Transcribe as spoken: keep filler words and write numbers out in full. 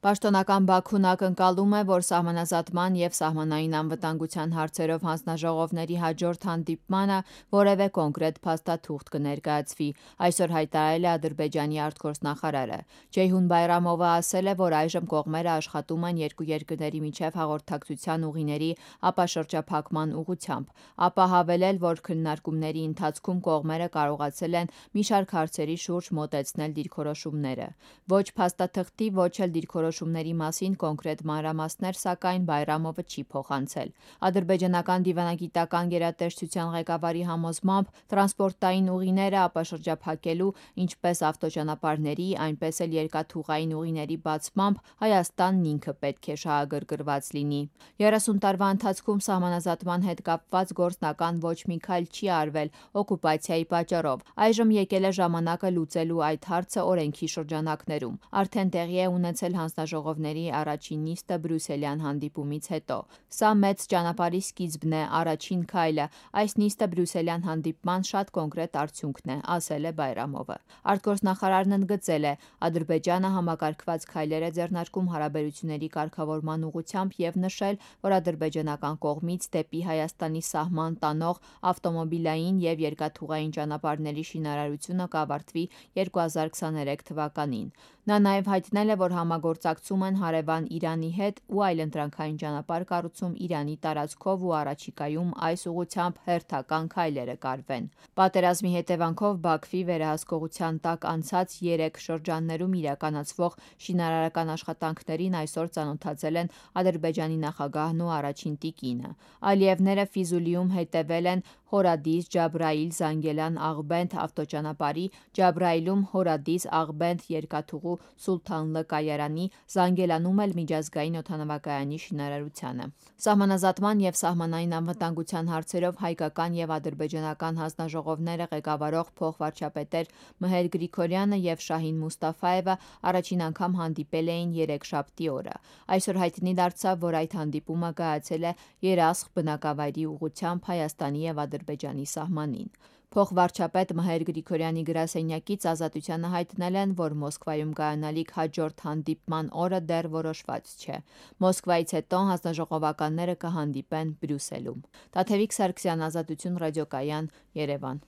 Պաշտոնական Բաքուն ակնկալում է, որ սահմանազատման և սահմանային անվտանգության հարցերով հանձնաժողովների հաջորդ հանդիպմանը որևէ կոնկրետ փաստաթուղթ կներկայացվի, այսօր հայտարարել է Ադրբեջանի արտգործնախարարը: Ceyhun Bayramova ասել է, որ այժմ կողմերը աշխատում են երկու երկրների միջև հաղորդակցության ուղիների ապաշրջափակման ուղղությամբ: Ապա հավելել, որ քննարկումների ընթացքում կողմերը կարողացել են մի շարք հարցերի շուրջ մոտեցնել դիրքորոշումները: Ոչ փաստաթղթի, ոչ էլ դիրքորոշումների մասին կոնկրետ մանրամասներ, սակայն, Բայրամովը չի փոխանցել: Ադրբեջանական դիվանագիտական գերատեսչության ղեկավարի համոզմամբ, տրանսպորտային ուղիները ապաշրջափակելու, ինչպես ավտոճանապարհների, այնպես էլ երկաթուղային ուղիների բացմամբ Հայաստանն ինքը պետք է շահագրգռված լինի: երեսուն տարվա ընթացքում սահմանազատման հետ կապված գործնական ոչ մի քայլ չի արվել օկուպացիայի պատճառով: Այժմ եկել է ժամանակը լուծելու այդ հարցը օրենքի շրջանակներում: Արդեն տեղի է ունեցել հանձնաժողովների առաջին նիստը բրյուսելյան հանդիպումից հետո: Սա մեծ ճանապարհի սկիզբն է, առաջին քայլը: Այս նիստը բրյուսելյան հանդիպման շատ կոնկրետ արդյունքն է, ասել է Բայրամովը: Արտգործնախարարն ընդգծել է. Ադրբեջանը համակարգված քայլեր է ձեռնարկում հարաբերությունների կարգավորման ուղղությամբ և նշել, որ ադրբեջանական կողմից դեպի Հայաստանի սահման տանող ավտոմոբիլային և երկաթուղային ճանապարհների շինարարությունը կավարտվի երկու հազար քսաներեք թվականին: Նա նաև հայտնել է, որ համագործակցում են հարևան Իրանի հետ ու այլընտրանքային ճանապարհ կառուցում Իրանի տարածքով ու առաջիկայում այս ուղղությամբ հերթական քայլերը կարվեն: Պատերազմի հետևանքով Բաքվի վերահսկողության տակ անցած երեք շրջաններում իրականացվող շինարարական աշխատանքներին այսօր ծանոթացել են Ադրբեջանի նախագահն ու առաջին տիկինը: Ալիևները Ֆիզուլիում հետևել են Հորադիս-Ջաբրայիլ-Զանգելան-Աղբենդ ավտոճանապարհի, Ջաբրայիլում Հորադիս-Աղբենդ երկաթուղու Սուլթան Լ կայարանի, Զանգելանում էլ միջազգային օդանավակայանի շինարարությանը: Սահմանազատման և սահմանային անվտանգության հարցերով հայկական և ադրբեջանական հանձնաժողովները ղեկավարող փոխվարչապետեր Մհեր Գրիգորյանը և Շահին Մուսթաֆաևը առաջին անգամ հանդիպել էին երեքշաբթի օրը: Այսօր հայտնի դարձավ, որ այդ հանդիպումը կայացել է Երասխ բնակավայրի ուղղությամբ Հայաստանի և Ադրբեջանի սահմանին: Փոխվարչապետ Մհեր Գրիգորյանի գրասենյակից Ազատությանը հայտնել են, որ Մոսկվայում կայանալիք հաջորդ հանդիպման օրը դեռ որոշված չէ: Մոսկվայից հետո հանձնաժողովականները կհանդիպեն Բրյուսելում: Տաթևիկ Սարգսյան, Ազատություն ռադիոկայան, Երևան: